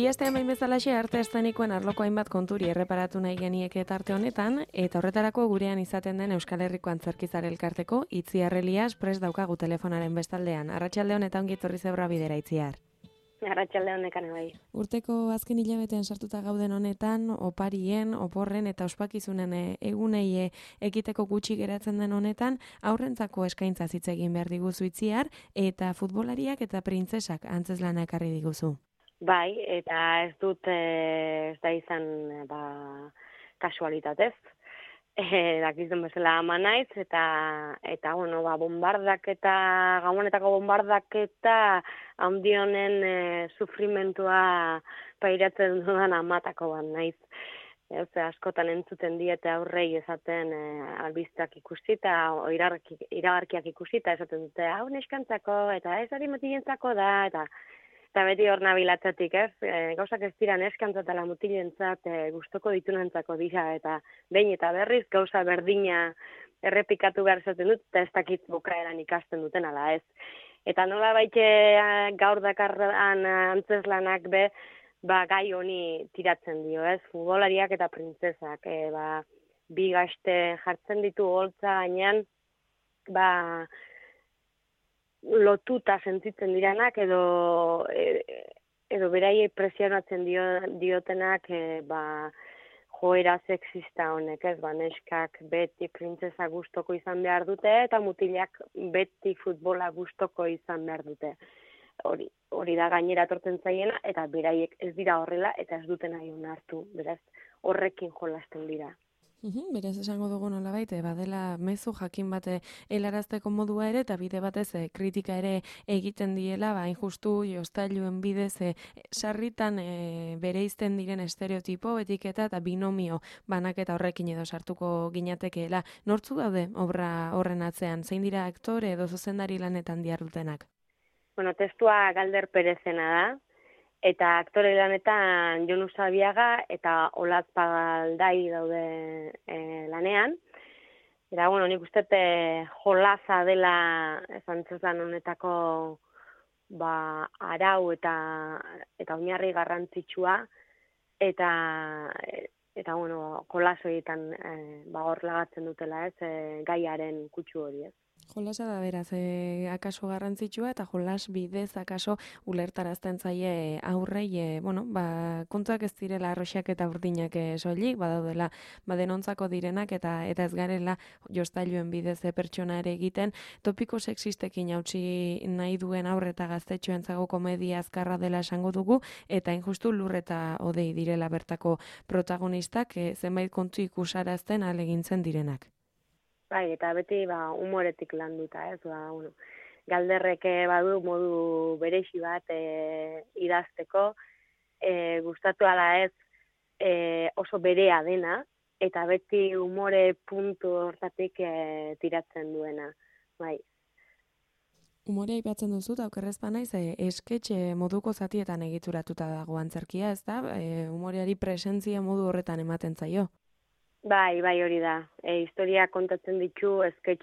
Bi astean behin bezalaxe arte eszenikoen arloko hainbat konturi erreparatu nahi genieke tarte honetan, eta horretarako gurean izaten den Euskal Herriko Antzerkizar Elkarteko Itziar Elias prest daukagu telefonaren bestaldean. Arratsalde hon eta ongi etorri zebra bidera, Itziar. Arratsalde honekan bai. Urteko azken hilabetean sartuta gauden honetan, oparien, oporren eta ospakizunen egunei ekiteko gutxi geratzen den honetan, aurrentzako eskaintza hitz egin behar diguzu, Itziar, eta futbolariak eta printzesak antzeslana ekarri diguzu. Bai, eta ez dut ez da izan kasualitatez. Dakizun bezala ama naiz, eta bueno, gabonetako bombardaketa handionen sufrimentua pairatzen dudan amatako bat naiz. Askotan entzuten diete aurrei esaten albistak ikusita, iragarkiak ikusita, esaten dute, hau neskantzako, eta ez hori mutilentzako da, eta beti hor nabilatzatik, gauzak ez dira neskantzatala mutilentzat gustoko ditunentzako dira, eta behin eta berriz gauza berdina errepikatu behar esaten dut, eta ez dakit bukaeran ikasten duten ala ez. Eta nola baite gaur dakarran antzeslanak gai honi tiratzen dio, futbolariak eta printzesak, bi gazte jartzen ditu holtza gainean, lotuta sentitzen diranak edo beraiei presionatzen diotenak joera sexista honek, neskak beti printzesa gustoko izan behar dute eta mutilak beti futbola gustoko izan behar dute. Hori da gainera etortzen zaiena eta beraiek ez dira horrela eta ez duten nahi onartu, beraz horrekin jolasten dira. Beraz esango dugu nolabait, badela mezu jakin bate helarazteko modua ere, eta bide batez kritika ere egiten diela, hain justu jostailuen bidez sarritan bereizten diren estereotipo, etiketa eta binomio banaketa horrekin edo sartuko ginatekeela. Nortzu daude obra horren atzean? Zein dira aktore edo zuzendari lanetan dihardutenak? Bueno, testua Galder Perezena da. Eta aktore lanetan Jon Usabiaga eta Olatz Pagaldai daude lanean. Eta, bueno, nik uste jolaza dela antzezlan honetako arau eta oinarri garrantzitsua. Eta bueno, jolas horietan hor lagatzen dutela gaiaren kutsu hori ez. Jolasa da beraz, akaso garrantzitsua eta jolas bidez akaso ulertarazten zaie aurrei, kontuak ez direla arroxak eta urdinak soilik, badaudela denontzako direnak eta ez garela jostailuen bidez pertsona ere egiten, topiko sexistekin hautsi nahi duen aurre eta gaztetxoentzago komedia azkarra dela esango dugu, eta injustu lur eta odei direla bertako protagonistak, zenbait kontu ikusarazten alegintzen direnak. Bai, eta beti humoretik landuta, Galderrek badu modu berexi bat idazteko, gustatu ala ez oso berea dena, eta beti humore puntu hortatik tiratzen duena. Bai. Humorea aipatzen duzu, eta okerrez banaiz, esketxe moduko zatietan egituratuta dago antzerkia, ez da? Humoreari presentzia modu horretan ematen zaio. Bai, hori da. Historia kontatzen ditu sketch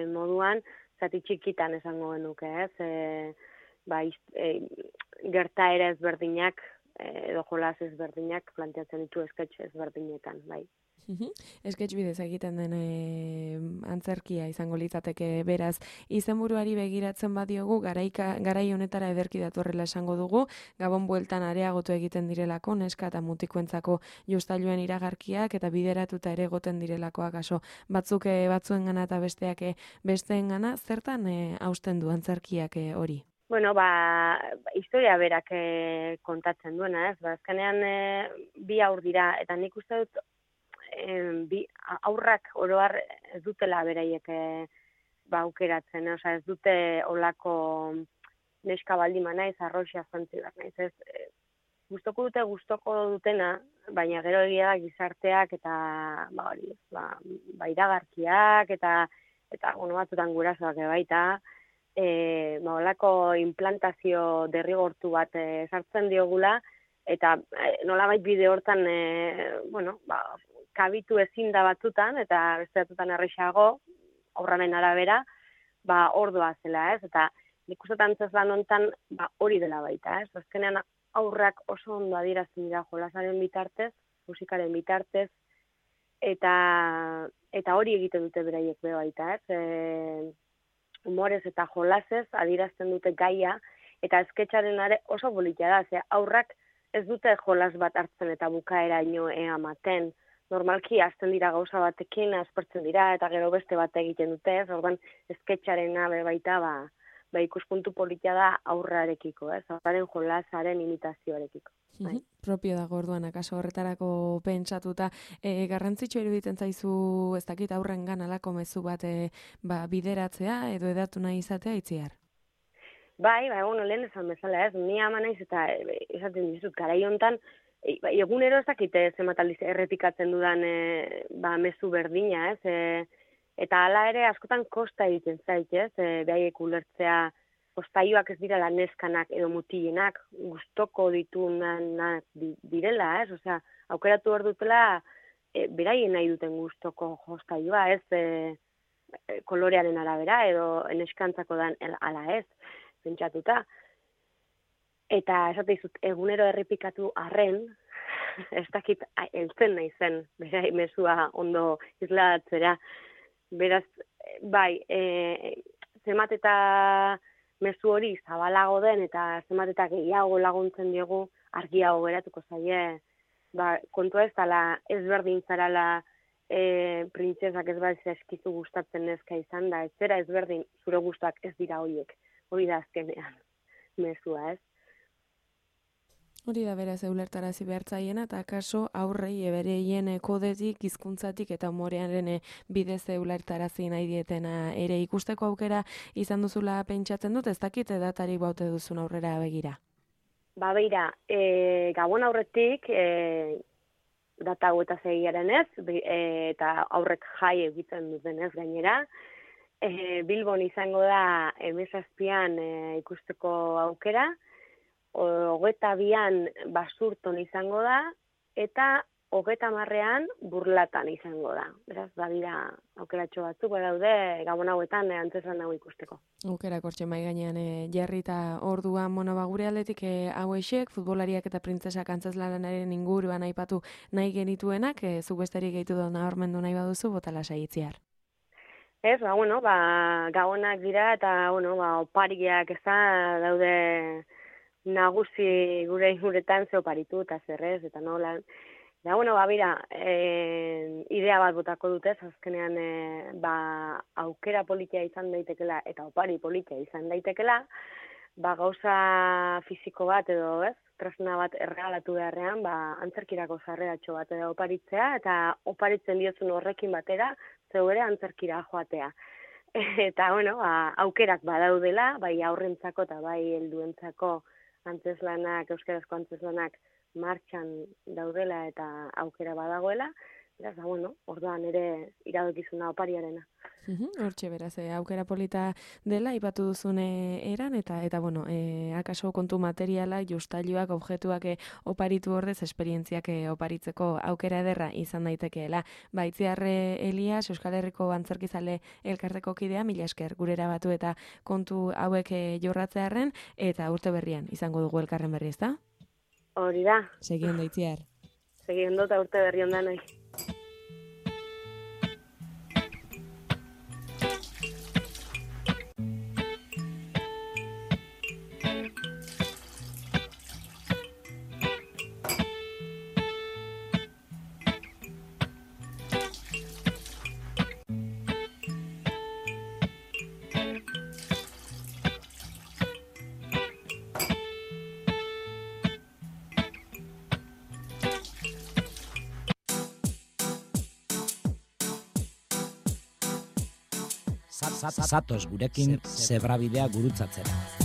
moduan, zati txikitan esango genuke, ez? Gertaera ezberdinak, edo jolas ezberdinak planteatzen ditu sketch ezberdinetan, bai. Sketch bidez egiten den antzerkia izango litzateke beraz, izenburuari begiratzen badiogu, garai honetara ederki datorrela esango dugu, Gabon bueltan areagotu egiten direlako, neska eta mutikoentzako jostailuen iragarkiak eta bideratuta ere egoten direlako akaso batzuk batzuengana eta besteak besteengana, zertan hausten du antzerkiak hori? Bueno, historia berak kontatzen duena, ez? Azkenean bi haur dira, eta nik uste dut aurrak oroar ez dutela beraiek aukeratzen, ez dute olako neska baldima naiz, arroxia zantzi bat naiz, ez? Gustoko dutena, baina gero egia da gizarteak eta iragarkiak eta batzutan gurasoak baita, olako implantazio derrigortu bat sartzen diogula, eta nolabait bide hortan, kabitu ezin da batzutan, eta beste batzutan errexago, aurraren arabera, ordoa zela, ez? Eta nik uste antzezlan honetan hori dela baita, ez? Azkenean aurrak oso ondo adierazten dira jolasaren bitartez, musikaren bitartez, eta hori egiten dute beraiek be baita, humorez eta jolasez adierazten dute gaia, eta esketxaren oso politia da, ze aurrak ez dute jolas bat hartzen eta bukaeraino ematen. Normalki hasten dira gauza batekin, aspertzen dira, eta gero beste bat egiten dute, orduan esketxarena baita ikuspuntu politia da aurrarekiko, aurraren jolasaren imitazioarekiko. Propio dago orduan, akaso horretarako pentsatuta, garrantzitsua iruditzen zaizu, ez dakit aurrengan alako mezu bat bideratzea, edo edatu nahi izatea Itziar? Bai, lehen esan bezala, ni ama naiz eta esaten dizut, garai hontan, egunero ez dakite zenbat aldiz errepikatzen dudan mezu berdina, eta hala ere askotan kosta egiten zait, behaiek ulertzea, postaioak ez direla neskanak edo mutilenak, gustoko ditunak direla, osea, aukeratu hor dutela, beraien nahi duten gustoko postaioa, kolorearen arabera edo neskantzako dan ala ez, pentsatuta. Eta esate dizut, egunero errepikatu arren, ez dakit heltzen nahi zen, berai mezua ondo isladatzera. Beraz, bai, zemat eta mezu hori zabalago den eta zemat eta gehiago laguntzen diegu argiago geratuko zaie. Kontua ez dela ezberdin zarala printzesak ez bat eskizu gustatzen neska izan da, ez zera ezberdin zure gustuak ez dira horiek, hori da azkenean mezua, ez? Hori da beraz ulertarazi behartzaiena, eta akaso aurrei bereien kodetik, hizkuntzatik eta umorearen bidez ulertarazi nahi dietena ere ikusteko aukera izan duzula pentsatzen dut, ez dakit datarik baute duzun aurrera begira? Beira, gabon aurretik, data hau eta zegiaren ez, eta aurrek jai egiten duten ez gainera, Bilbon izango da emezazpian ikusteko aukera, 22an Basurton izango da, eta 30ean Burlatan izango da. Beraz, badira aukeratxo batzuk, badaude gabon hauetan antzezlan hau ikusteko. Aukerak hortxe mai gainean jarrita orduan gure aldetik hauexek, futbolariak eta printzesak antzezlanaren inguruan aipatu nahi genituenak, zuk besterik gehitu da nabarmendu nahi baduzu, botala Itziar. Ez, gabonak dira eta opariak daude nagusi gure inguretan ze oparitu eta zerrez, eta nola. Bira, idea bat botako dutez, azkenean aukera politia izan daitekela eta opari politia izan daitekela, gauza fisiko bat edo tresna bat erregalatu beharrean, antzerkirako sarreratxo bat edo oparitzea, eta oparitzen diozun horrekin batera, zeu ere antzerkira joatea. Eta, aukerak badaudela, bai aurrentzako eta bai helduentzako antzeslanak, euskarazko antzeslanak martxan daudela eta aukera badagoela, beraz, orduan ere iradokizuna opariarena. Hortxe beraz, aukera polita dela, ipatu duzun eran, eta akaso kontu materiala, justailuak, objektuak oparitu ordez, esperientziak oparitzeko aukera ederra izan daitekeela. Itziar Elias, Euskal Herriko Antzerkizale elkarteko kidea, mila esker gurera batu eta kontu hauek jorratzearren, eta urte berrian izango dugu elkarren berri, ezta? Hori da. Segi ondo, Itziar. Segi ondo eta urte berri ondan nahi. Zatoz gurekin zebrabidea gurutzatzera.